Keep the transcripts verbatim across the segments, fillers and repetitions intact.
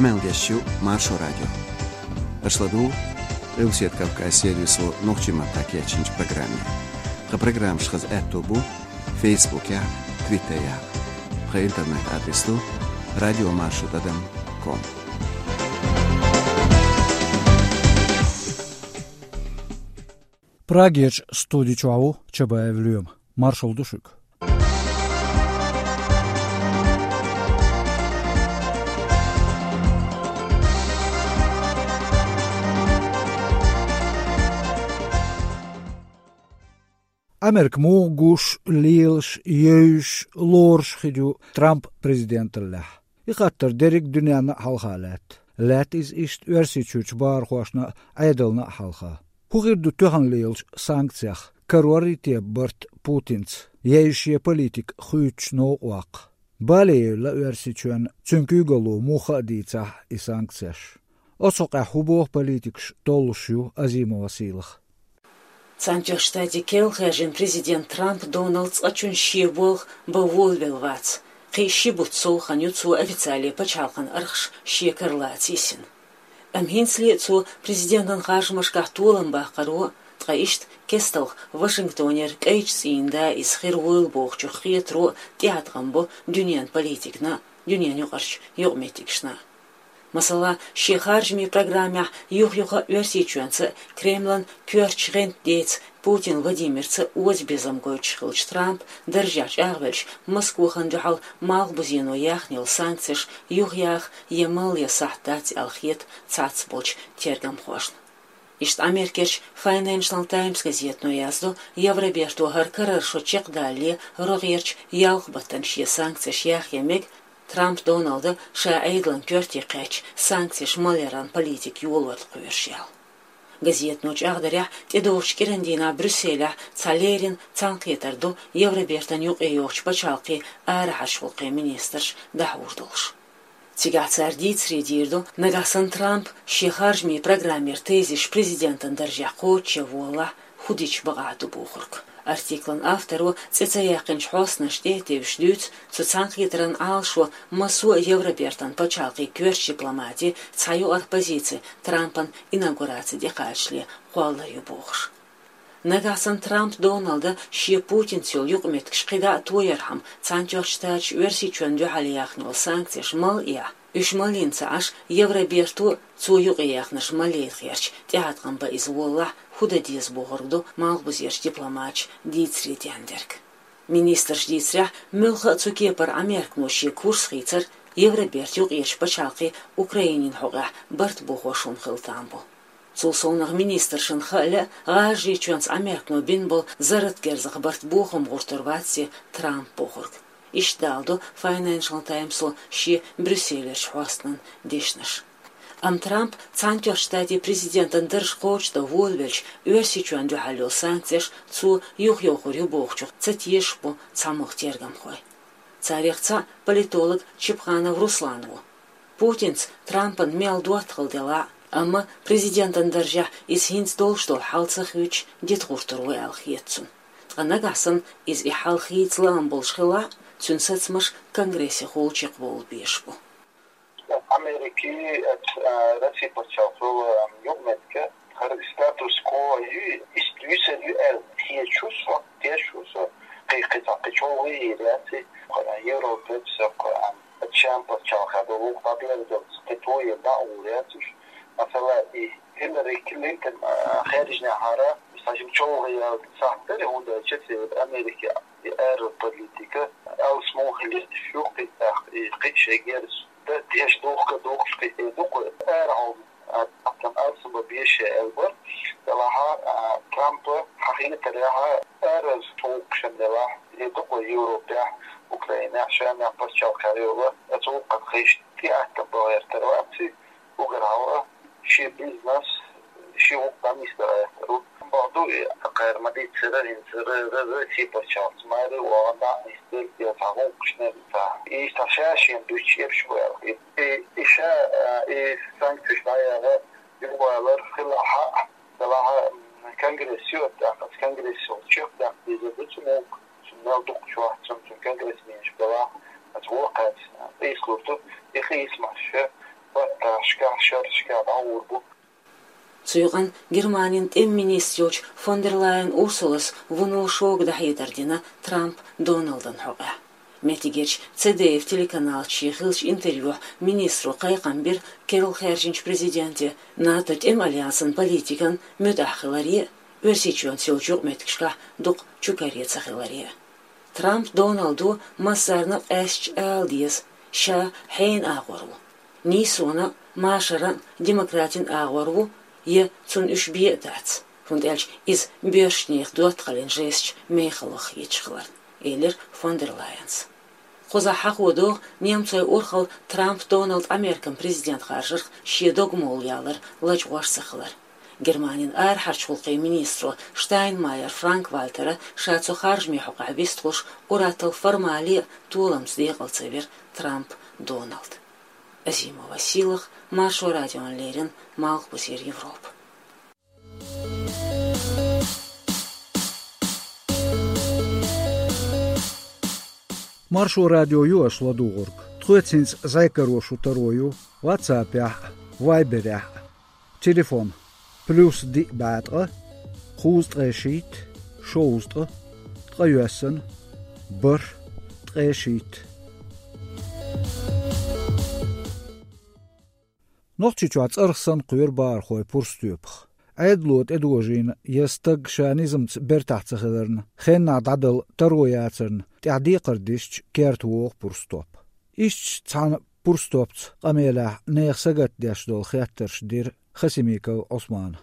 Къамел деш ю Маршо радио. Аша ладугӀу Къилбаседа Кавказ сервисо нохчийн маттахь кечйинчу программе. Тхан программаш хаза аьтто бу Фейсбукехь, Твиттерехь. Тхан интернет-адрес ду радиомаршо тӀадам ком. Прагерчу студи чохь ву Чабаев Лоьма. Маршалла ду шуьга. Америка муха гуш, лелаш, евзаш, лоруш хир ю Трамп президенталлехь? И хаттар дерриг а дуьненна а хьалха лаьтта. Лаьтта иза иштта Оьрсийчуьрчу бахархошна а, Ӏедална а хьалха. ХӀун хир ду тоьхна лелачу санкцех? Карор ю те барт Путинца, я иза шен политика хуьйцучу новкъа ваккха? Бале евлла Оьрсийчоьнна цуьнан куьйгалло муха а дийцахь и санкцеш? Оцу хьокъехь хӀун боху политикаш, толлуш ю Азимова Сийлаха. Цхьаьнатоьхначу Штатийн керла хаьржина президент Трамп Доналд цкъачунна шен болх бан волавелла вац. Кхин а ши бутт сов хан ю цо официале пачхьалкхан архаш шен кара лаца йисина. Амма хӀинцале а цо президентан харжамашкахь толам баккхаро, ткъа иштта кестта Вашингтонера кӀайчу цӀийнан да иза хир вуйла бохучух хетаро тӀеӀаткъам бо дуьненан политикана а, дуьненан юкъарчу юкъаметтигашна а. Масала, шен харжамийн программехь юх-юха а Оьрсийчоьнца а, Кремлан коьртачу гӀентан деца Путин Владимирца а озабезам гойтуш хиллачу Трамп даржехь чӀагӀвелча, Москвахана дуьхьал малхбузено яьхна йолу санкцеш юхаяха я малъян сахьт дац аьлла хета цхьацца болчу тергамхошна. Иштта Америкерчу Financial Times газетано яздо, Евроберто хӀара карара шо чекхдалале рогӀерчу ялх баттана шен санкцеш яхъян мега, Трамп Доналда ша Ӏедалан коьрте кхаьчча санкцеш малъяран политика йолор кхоьруш яьлла. Газетано чӀагӀдарехь, тӀедогӀучу кӀиран дийнахь Брюсселехь цхьа леррина цхьаьнакхетар ду Евробертан юкъайогӀучу пачхьалкхийн арахьарчу гӀуллакхийн министраш дӀахьур долуш. Цигахь цара дийцаре дийр ду, нагахь санна Трамп шен харжамийн программера тезисаш президентан даржехь кхочушъян волалахь, хӀун дича бакъахь ду бохург. Артиклан авторо цӀе ца яьккхинчу хьостанашна тӀе а тевжаш дуьйцу, цу цхьаьнакхетаран Ӏалашо массо а Евробертан пачхьалкхийн коьртачу дипломатийн цхьа юкъара позици Трампан инаугураци тӀекхачале кхоллар ю бохуш. Нагахь санна Трамп Доналда шен Путинца йолу юкъаметтигаш кхидӀа а тоярхьама, Цхьаьнатоьхначу Штаташа Оьрсийчоьнна дуьхьал яьхна йолу санкцеш малъяхь, уьш малйина ца Ӏаш, Евроберто цо юкъаяьхнарш малъяйта гӀерташ тӀеӀаткъам бан иза волалахь, хӀун дан деза бохург ду малхбузерчу дипломаташа дийцаре дендерг. Министрша дийцарехь, муьлхха а цу кепара Американо шен курс хийцар Евробертан юкъерчу пачхьалкхийн Украинин хьокъехь барт бохош хӀума хила там бу. Цул совнах министршна хаалла, ГӀажарийчоьнца Американо бина болу зарратан герзах барт бохам гӀуртур вац те Трамп бохург. Иштта даладо Financial Times-о шен Брюсселерчу хьостанан дешнаш. Амма Трамп Цхьаьнатоьхначу Штатийн президентан дарж кхочушдан волавелча, Оьрсийчоьнна дуьхьал йолу санкцеш цо юхайохур ю бохучух ца тешаш бу цхьамогӀа тергамхой. Царех цхьаъ политолог Чепханов Руслан ву. Путинца Трампан мел доттагӀалла делахь а, амма президентан даржехь иза хӀинца долуш долу хьал ца хуьйцуш дита гӀуртур ву аьлла хета цунна. Ткъа нагахь санна иза и хьал хийца лаам болуш хилахь а, цуьнан сацамаш Конгрессехула чекхбовла безаш бу. Америкин, а, Россин пачхьалкх йолу, а, юкъаметтиг, хӀара статус-кво ю, иштта висар ю аьлла хеташ ву со, тешаш ву со, кхин, кхин цхьа кхин чӀогӀа йийр яц и, Европа, а, Чан пачхьалкхехь долу вукху дӀаберзалц кхин тоьар дӀа а гӀур яц уьш. Масала, и Хиллари Клинтон, а, хаьржинехьара, схьажим чӀогӀа яьлла сахьт дара, хӀунда аьлча церан Америкин и аьрру политика алсам хила езаш ю, кхин тӀаккха и кхин шайн герз дан деш духка духкуш кхин тӀе ду-кх, ара хьо, а, тӀаккха алсам бан безаш аьлла бара. Делахь а, Трампа хьахийнарехь а, ара цу гӀуллакхашна делахь, и ду-кх Европехь, Украинехь, Шемахь пачхьалкхехь йолу, а, цу гӀуллакхна хиш тӀеӀаткъам бан гӀертар вац и. Уггар хьалха шен бизнес, шен гӀуллакх дӀанисдар гӀертар ву. Бакъду, и кхара ма-дийццара, хӀинца р-, р-, Россин пачхьалкхца маре а вахана, дӀанисдерг я цхьа гӀуллакхашна, цхьа. И цхьа ша шена дуьйцуш ерш бу аьлла. И, и, и ша, а, и санкцеш дӀаяха юхавалар хилахь а, делахь а, конгресс ю, тӀаккха аса конгрессо чекхдаккха дезар ду цу гӀуллакх, цунна мел дукха чохь, цунна, цунна конгрессменаш белахь, аса вон кхаьчна, къийсалур ду, и къийсамаш, барт Цу юкъанна Германин тӀеман министр йолчу фон дер Лайен Урсулас вуно шога дӀахьедар дина Трамп Доналдан хьокъехь. Меттигерчу Ц Д Ф телеканалца шен хиллачу интервьюхь министро кхайкхам бира керла хаьржинчу президенте, НАТО тӀеман альянсан политикан муьтӀахь хиларе а, Оьрсийчоьнца йолчу юкъаметтигашкахь дукха чукаре ца хиларе а. Трамп Доналдо массарна а къаьстича ала деза, ша хьенан агӀор ву. Нийсонан а, машаран а, демократийн агӀор ву, я цунна уьш бен а дац, хӀунда аьлча иза боьршачу нехан доттагӀаллин жесташ мехала ваха хеташ хиларна, элира фон дер Лайенс. Кхузахь хьахо догӀу немцойн урхалла Трамп Доналд Ӏамеркан президент харжарх шен догмолла ялар лачкъош ца хилар. Германин арахьарчу гӀуллакхийн министро Штайнмайер Франк-Вальтера ша цу харжамийн хьокъехь вистхуьлуш ур-атталла формале а толамца декъала ца вира Трамп Доналд. Азимова Сийлаха, Маршо радиона леррина, Малхбузера Европа. Маршо радио ю аша ладугӀург. Тхоьца хӀинца зӀе каро шун таро ю WhatsApp-ехь а, Viber-ехь а. Телефон: плюс диъ бӀе ткъа, кхузткъе шийтта, шовзткъа, ткъе йоьссана, бархӀ, ткъе шийтта. Нохчийчохь цӀарах санна кхоьру бахархой пурстоьпах. Ӏедало тӀедожийна я стаг ша низамца бертахь ца хиларна, хеннахь дӀадала таро яцарна тӀехь декхар дисча керта вогӀу пурстоп. Иштта цхьана пурстопца къамелехь нехан сагатдеш долу хеттарш дира Хасимиков Ӏусмана.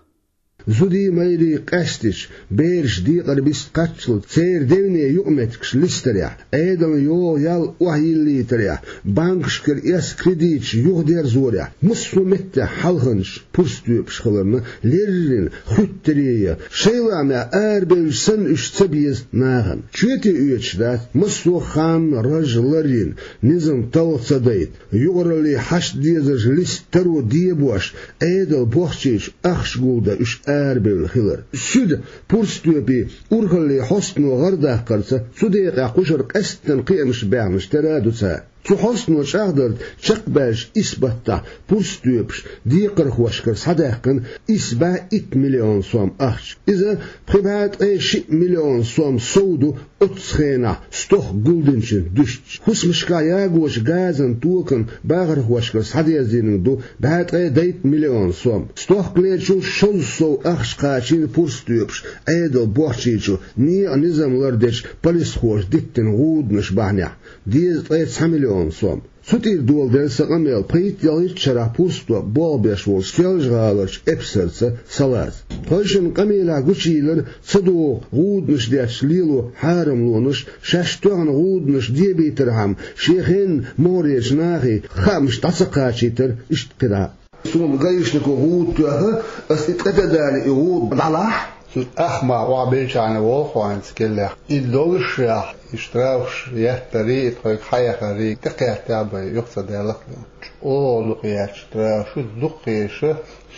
Зудий, майрий къаьстича, бераш декъар биста кхаччалц, церан девне юкъаметтигаш листарехь, Ӏедална йогӀу ял охьайиллийтарехь, банкашкара эс кредиташ юхадерзорехь, массо а меттехь хьалханчаш пурстоьпаш хиларна, леррина, хуьттарий а, шайн лаамехь арабевлча санна уьш ца беза нахана. Чоьте оьцуш дац, массо а хан, раж ларйина, низам талха ца дайта, юкъараллин хьашт дезарш листа таро дебош, Ӏедал бохчийчу ахча гулдан уьш арабевлла хилар. Суьда пурстоьпийн урхаллин хьостано гӀардаккхарца цу декъехь кхушара къаьсттина кхиамаш баьхнаш тера а ду цара. Цу хьостано чӀагӀдарца чекхбаьллачу исс баттахь пурстоьпаш декхархошкара схьадаьккхина исс бӀе итт миллион сом ахча. Иза пхи бӀе ткъе шиъ миллион сом сов ду оццу хенахь стохка гулдинчуьнца дуьстича. ХӀусамашкахь ягочу газан токан бахархошкара схьадерзийнарг ду бӀе ткъе дейтта миллион сом. Стохкалерчул шозза сов ахча кхачийна пурстоьпаша Ӏедал бохчийчу, некъан низам лардечу полисхоша диттина гӀуданаш бахьанехь, дезткъе цхьа миллион сом. Цу тӀера доладелла сан къамел пхийтта ялхитта шарахь пурстоп болх беш волчу Соьлжа-ГӀаларчу эпсарца Салаза. Тхойшинна къамелехь гучуйиллира ца догӀу гӀуданаш детташ лело хьарамлонаш, шаьш тоьхна гӀуданаш дебийтархьама, шен хенан могӀарерчу нахе хаамаш дӀа ца кхачийтар, иштта кхидӀа. Суна гаишнико гӀуда тоьхна, ас и тӀе дан дале, и гӀуда дӀалахь. Цу ахма охьабелчахьана волу хьо хӀинца кхеллех. И доллушехь, и штрафаш еттарий, и тхоьга хьаэхарий, тӀекхеттехь бен, юха ца даьллакх бен. ЧӀогӀа дукха етташ штрафаш, дукха еша,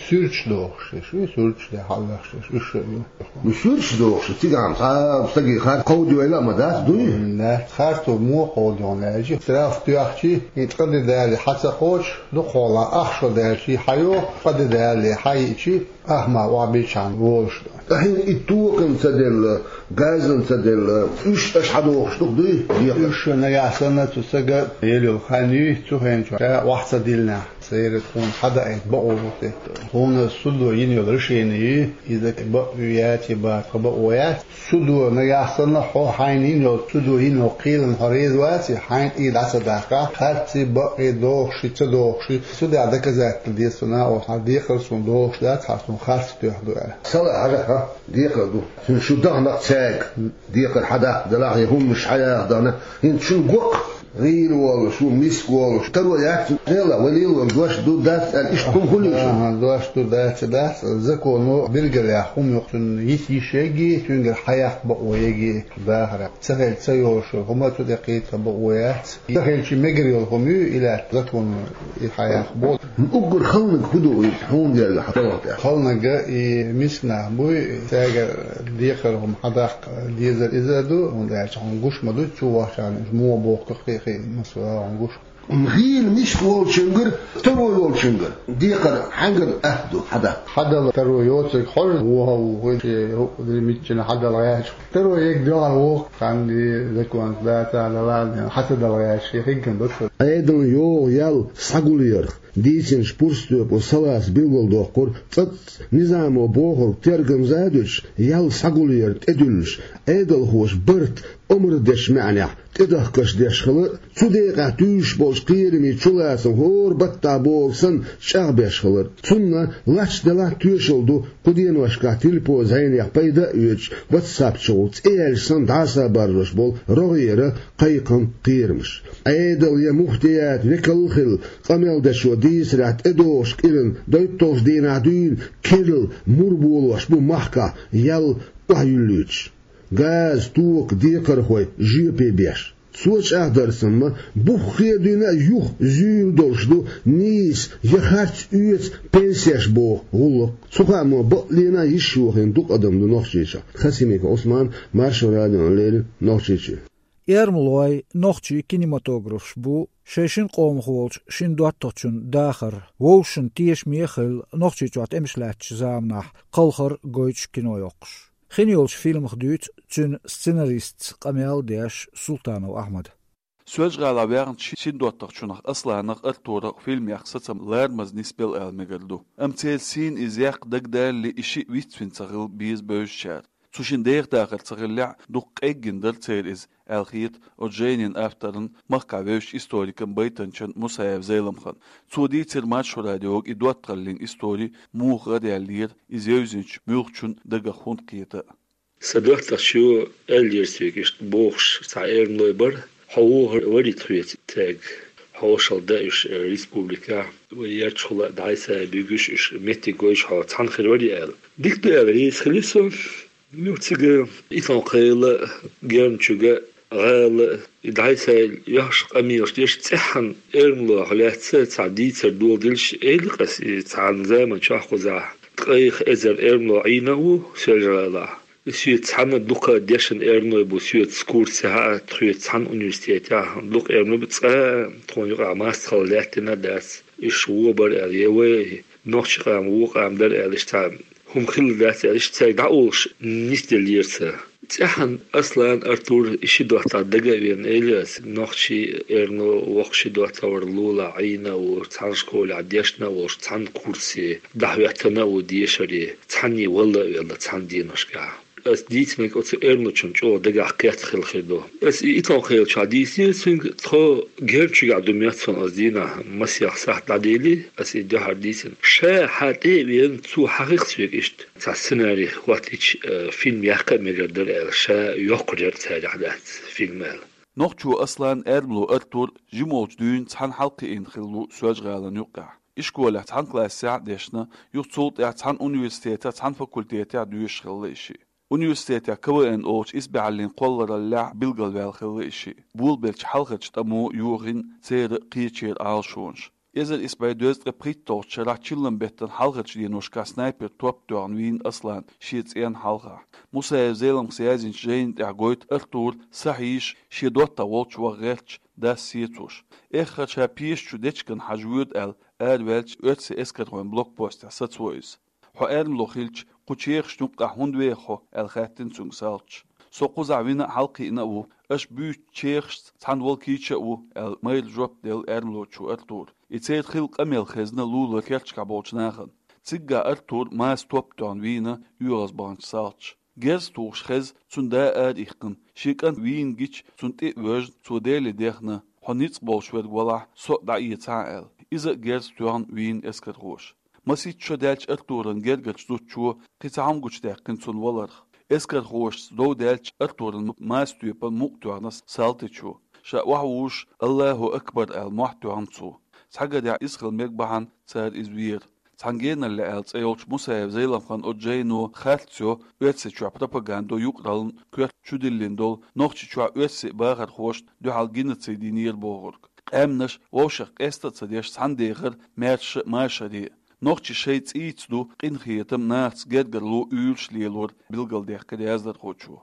суьрташ дохуш деш, и суьрташ де хьаллахьаш деш, уьш а ю. Ну, суьрташ дохуш, цигахь цхьа стаге хар кховдийла а ма дац, дуй? Дац, харцо муха кховдийна аьлча, штраф тоьхчий, и тӀе дан дале хьа ца кхочуш, дукхахьолахь ахча дан даьлчий хьайогӀу, тӀе дан дале хьайиъчий, ахма охьабелчахьана волуш ду. Ткъа хӀинца и токан ца делла, газан ца делла, уьш аша хьадохуш ду-кх, дуй? Уьш нагахь санна цу стага елла йолу хан юй, цу хенахь ша охьа ца диллинехь, церан тхуна хьадаийта бакъо бу те. Тхуна судо йина йолу решение юй, иза бакъ ю яц, я бакъ ю, тхан бакъо яц. Судо нагахь санна хьо хьайна йина йолу, судо йина йолу кхелана хьо реза вац, хьайна тӀера дӀа ца даккхахь, харций, бакъий, дохуший, ца дохуший, судехь доказательство деза цунна, хьан декхар суна дохуш дац, хьан суна харц тоьхна ду аьлла. Сала хьажахьа, декхар ду. Цуьнан шу дахана-кх цаьрга, декхар хьадаккха делахь, я хӀуманаш хьаяха дахана, хӀинца шуна го-кх, гӀийла волуш, шу миска волуш, таро яц, Дела, вай лело дош ду, дац аьлла, иштта хӀума хуьлу шу? Аха, дош ду, дац, дац. Законо билгалъяьхна хӀума ю-кх, цунна йита йиш егги, цуьнгара хьаяккха бакъо егги дахарехь. Ца хилча ца йолуш йолу хӀума цу тӀе кхета бакъо яц. Ца хилча мегар йолу хӀума ю, и лаьтта законо и хьаяккха боху. Уггар халаниг хӀун ду иза, хьуна гергахь хьан талхана тӀехь? Халаниг и миска нах буй, цаьргара декхар хӀума хьадаккха дезар иза а ду, хӀунда аьлча хьуна гуш ма ду, чу вахчахьана уьш муха бохку кхин а, кхин а, масала, хьуна гуш. ГӀийла мишка волчуьнгара, таро йолчуьнгара декхар хьаьнгара атта ду, хьада? Хьадала таро йоцург хьожа вохаву, вай шен хӀуъа миччина хьадала гӀаьча. Таро ег доьгӀар воху, цхьанна законца дацахь а, дала а, хьа ца дала гӀаьча, шен хигган баккхар. Ӏедална йогӀу ял схьагулъярх дийцинчу пурстоьпо Саласа билгалдоккхура, цӀацца низамо бохург тергамза а дуьтуш, ял схьагулъяр тӀедуьллуш, Ӏедалхоша барт омра дечу маьӀнехь тӀедахкаш деш хилар а, цу декъехь туьйсуш болчу кхерамийн чулацам хӀора баттахь бохург санна чӀагӀбеш хилар а. Цунна лач делахь а тоьшалла ду кху деношкахь телепо зӀенех пайда а оьцуш, WhatsApp чухула цӀе яьлча санна дӀасабаржош болу рогӀера кхайкхам, кхерамаш. Ӏедал я муфтият векал а хилла, къамел дечо дийцарехь, тӀедогӀучу кӀиран дойталгӀачу дийнахь дуьйна керла мур болош бу махкахь ял охьаюьллуьйтуш, газа, тока, декхархой жоьпе беш. Цо чӀагӀдарца ма, буххе а дуьйна а юха зуьйр долуш ду нийса я харц оьцу пенсеш боху гӀуллакх. Цу хаамо бакъ лена а йиш йохийна дукха адам ду Нохчийчохь. Хасимиков Ӏусман, Маршо радиона леррина Нохчийчуьра. Эрмалойн, нохчийн кинематографаш бу шайн шина къомах волчу шина доттагӀчун дахар, вовшашна тешаме а хилла, Нохчийчохь тӀемаш лаьттачу заманахь кхалхар гойтуш кино йоккхуш. Хин йолчу фильмах дуьйцу цуьнан сценаристца къамел а деш Султанов Ахьмада. Соьлжа-ГӀалахь ваьхначу шина доттагӀчунах Асланах, Артурах фильм яккха сацам ларамаза нисбелла ала мегар ду. Амма церан сийна иза яккха дагадалале, и шиъ вицвина ца хилла беза бевзачара. Цу шина деха дахар ца хиллехь а, дукха къеггина дара церан иза, аьлла хета оцу жайнин авторан, махкахь вевзачу историкан, байтанчин Мусаев Зайламхан. Цо дийцира Маршо радиога и доттагӀаллин истори муха гӀараяьллера, иза евзинчу муьлххачун дагах хӀунда кхета а. Сан доттагӀчо аьллера соьга иштта бохуш цхьа эрмалой бара: «Хьо вохур варий тхоьца?» — цаьрга. «Хьошалла дан уьш республикехь, вай ярташхула а дӀасабуьгуш, уьш меттиг гойтуш хьо цхьаьна хир варий?» — аьлла. «Дика ду», — аьлла, реза хили со. Юха цига Итон-Кхайла, Герначуга, ГӀала, и дӀасайла йохьуш къамелаш деш, цӀеххьана эрмалойх лаьцна цхьа дийцар доладелча, элира ас, и цхьана заман чохь кхузахь ткъех эзар эрмалой Ӏийна а ву Соьлжа-ГӀалахь. Соьца цхьаьна дукха дешна эрмалой бу, соьца курсе хьа а, тхоьца цхьаьна университетехь дукха эрмалой бу, цкъа а тхуна юкъахь мастагӀалла лаьттина а дац. Уьш вон бара аьлла, я вай нохчийн къам вон къам дара аьлла, иштта цхьа хӀума хилла дац аьлла, иштта цаьрга дӀаолуш нисделлера сан. ЦӀеххьана Аслан, Артур, и ши доттагӀа дага а веана, элира ас, нохчийн эрмало воккха ши доттагӀа вара, Лула Ӏийна а ву, цхьана школехь дешна а волуш, цхьана курсе дӀахӀоьттина а ву дешаре, цхьанне валла а велла цхьана деношкахь. Ас дийцинарг оцу эрмалочун чӀогӀа дагахь кхетта хилла хир ду. Ас и Итон-Кхайла чохь дийцинера цуьнга, тхо Герначуьгахь ду моьтту суна, ас дийнахь масех сахьт дӀадели, ас и дуьхьал дийцина. Ша хьан тӀе а веана, цо хьахийра соьга иштта, цхьа сценарий хӀоттийча, э, фильм яккха а мегар дара аьлла, ша йоккхур яра царах дац фильм аьлла. Нохчо Аслан, эрмало Артур жима волчу дуьйна цхьаьна хьалакхиъна хилла ву Соьлжа-ГӀалина юккъехь. Ишколехь цхьана классехь а дешна, юха цул тӀаьхьа цхьана университетехь, цхьана факультетехь доьшуш хилла и шиъ. Университетехь КВН олучу исбаьхьаллин кхоллараллехь билгалваьлла хилла и шиъ. Болабеллачу хьалхарчу тӀамо йохийна церан кхечеран Ӏалашонаш. Эзар исс бӀе дезткъе пхийтталгӀачу шарахь чиллан беттан хьалхарчу деношкахь снайпер топ тоьхна вийна Аслан шен цӀенна хьалха. Мусаев Зелимхас яздинчу жайна тӀехь гойту Артур, сахьийша, шен доттагӀа волчу ваха гӀерташ, дас сецош. Эххар ша пеша чу дечиган хьажа воьду аьлла, араваьлча, оьрсийн эскархойн блокпостехь сацаво иза. «Хьо эрмало хилча, кху чехашна юккъехь хӀунда веха хьо?» — аьлла хаьттина цуьнга салташа. «Со кхузахь вина а, хьалакхиъна а ву. Аша буьйцучу чехашца цхьаьна волу кийча а ву», — аьлла, майра жоп делла эрмалочо Артура. И церан хилла къамел хезна Лулара керчахь болчу нахана. Циггахь Артур маса топ тоьхна вийна оьгӀаз баханчу салташа. Герз тухуш хезна цуьнан да ара иккхина, шен кӀант вийна гича, цунна тӀе а воьжна, цо Деле дехна: «Хьо ницкъ болуш верг валахь, со а дӀаэцахьа», — аьлла. Иза а герз тоьхна вийна эскархоша. Масийтта шо даьлча Артуран гергарчу зудчо кхин цхьа хӀума гучудаьккхина цунна валарх. Эскархошца дов даьлча, Артуран маса тоьпан мукъа тоьхна салтичо. Ша охьавужуш, «Аллаху акбар» аьлла, мохь тоьхна цо. Цхьа гадехь иза хила мега бахьана, цара иза вера. «Цхьана геналле» аьлла цӀе йолчу Мусаев Зелимхан оцу жайно харц йо Оьрсийчохь пропагандо юкъараллин коьрта чудиллина долу, Нохчийчохь оьрсийн бахархошна дуьхьал геноцид йинера бохург. Къаьмнаш вовшах къеста а ца деш, цхьаьна дехар маьрша а, машаре а. Нохчий шайн цӀийца ду къинхетам, нахаца гергарло уьйраш лелор, билгалдаьккхира яздархочо.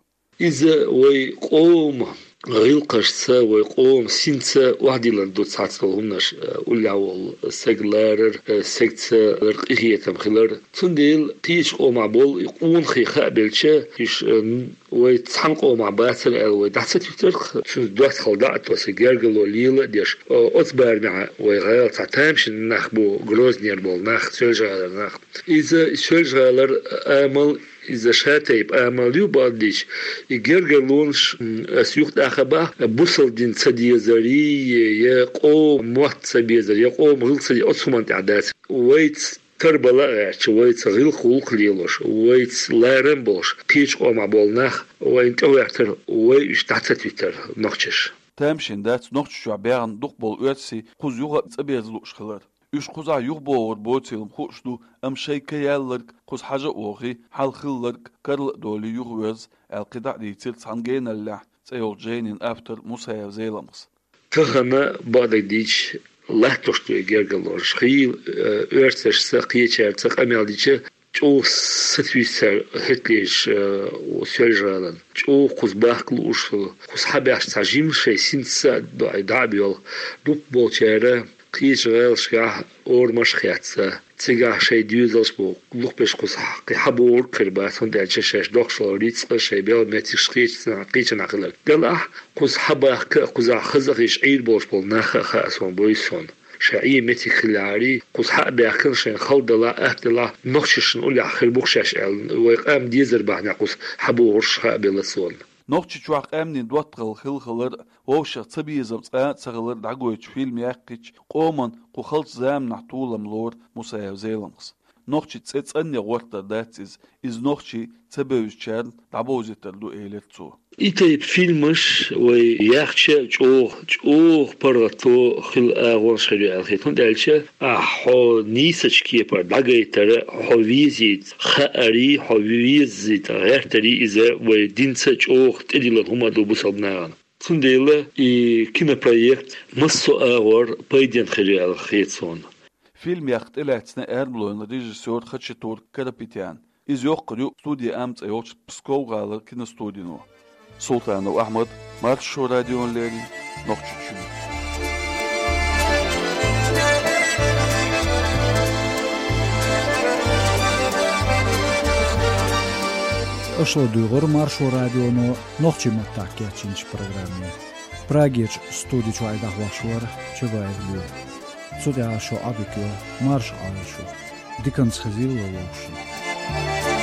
Иза вай къоман ГӀиллакхашца вай къоман синца охьадиллина ду цхьацца долу хӀуманаш, э, уллехь волу саг ларар, э, сагца лар къинхетам хилар. Цундела кхечу къомахь болу и къонахий хаа белча, уьш, э, вай цхьана къомахь бацара аьлла вай дӀа ца туьтарх, цуьнца доцхьал дӀа а тосу, гергарло лела а деш, о-, оцу барамехь вай гӀала цхьа тамашийна нах бу, Грознера болу нах, Соьлжа-ГӀалара нах. Иза Соьлжа-ГӀалара амал, иза шатайпа амал ю бакъдийча, и гергарлонаш, м, ас юха тӀаккха бах, бусалба дин ца дезарий, я къоман мотт ца безар, я къоман гӀиллакх ца де-, оцу хӀуманна тӀехь дац. Вайца тарбала а гӀерташ, вайца гӀиллакх-гӀуллакх лелош, вайца ларам болуш, кхечу къомахь болу нах вайна тӀехӀоьттара, вай уьш дӀа ца туьтара нохчаша. Тамашийна дац Нохчийчохь баьхна дукхахболу оьрсий кхуза юха а цӀа беза лууш хилар. Уьш кхузахь юхабогӀур боцийла-м хууш ду, амма шайн ка ялларг кхуза хьажа а вохий, хьал хилларг карла а долий юхаверза, аьлла кхидӀа а дийцира цхьана геналлехь цӀе йолчу жайнин автор Мусаев Зеламхас. Тахана бакъдерг дийцича, латтош ду и гергарлонаш. Хийла, э, оьрсашца, кхечаьрца къамел дича, чӀогӀа сатуьйсу цара хӀеталечу, э, Соьлжа-ГӀалин. ЧӀогӀа кхуза бахка лууш, кхуза хьабаьхча цхьа жима шайн синца а дӀа а боьлху. Дукхахболчара кхечу гӀалашкахь орамаш а хецна, цигахь шайн доьзалш бу, лухбеш кхуза кхин хьабогӀург хир бац, хӀунда аьлча шаьш дохкуш долу рицкъа, шайн белла меттигаш кхечу-, кхечанхьа хилар. Делахь, кхуза хьабахка а, кхузахь хаза а хезаш Ӏийр болуш болу нах а хаьа суна, буьйса суна. Шайн Ӏен меттиг хиллехьарий, кхуза хьа а баьхкина, шайна хала далахь, атта далахь, нохчашна уллехь хир бу-кх шаьш аьлла, вай къам дезар бахьанехь кхуза хьабогӀурш хаа белла суна. Нохчийчохь къаьмнийн доттагӀалла хилла хилар а, вовшах цабезам цкъа а ца хилар дӀагойтуш фильм яьккхича, къоман кху халчу заманахь толам лору Мусаев Зеламхас. Нохчийн цӀе цӀанъян гӀортор дац иза, иза нохчий ца бевзачарна дӀабовзийтар ду, элира цо. И тайпа фильмаш вай яьхча чӀогӀа, чӀогӀа паргӀато хила агӀонаш хир ю аьлла хета. ХӀунда аьлча ахь хьо нийсачу кепара дӀагайтар, хьо везийта хаарий, хьо везийта гӀертарий, иза вай динца чӀогӀа тӀедиллина хӀума ду бусалба нахана. Цундела и кинопроект массо а агӀор пайденна хир ю аьлла хета суна. Фильм яккха тӀелаьцна аьрмалойн режиссёр Хачатур Карапетян. Иза йоккхур ю «Студия М» цӀе йолчу Псков-гӀалара киностудино. Султанов Ахьмад, Маршо радиона леррина, Нохчийчуьра. Аша ладуьйгӀура Маршо радионо нохчийн маттахь кечйинчу программе. Прагерчу студи чуьра дӀахьош вара Чабаев Лоьма. Цу тӀехь шун Ӏадика йо, марша Ӏойла шу. Диканца хезийла вовшашна.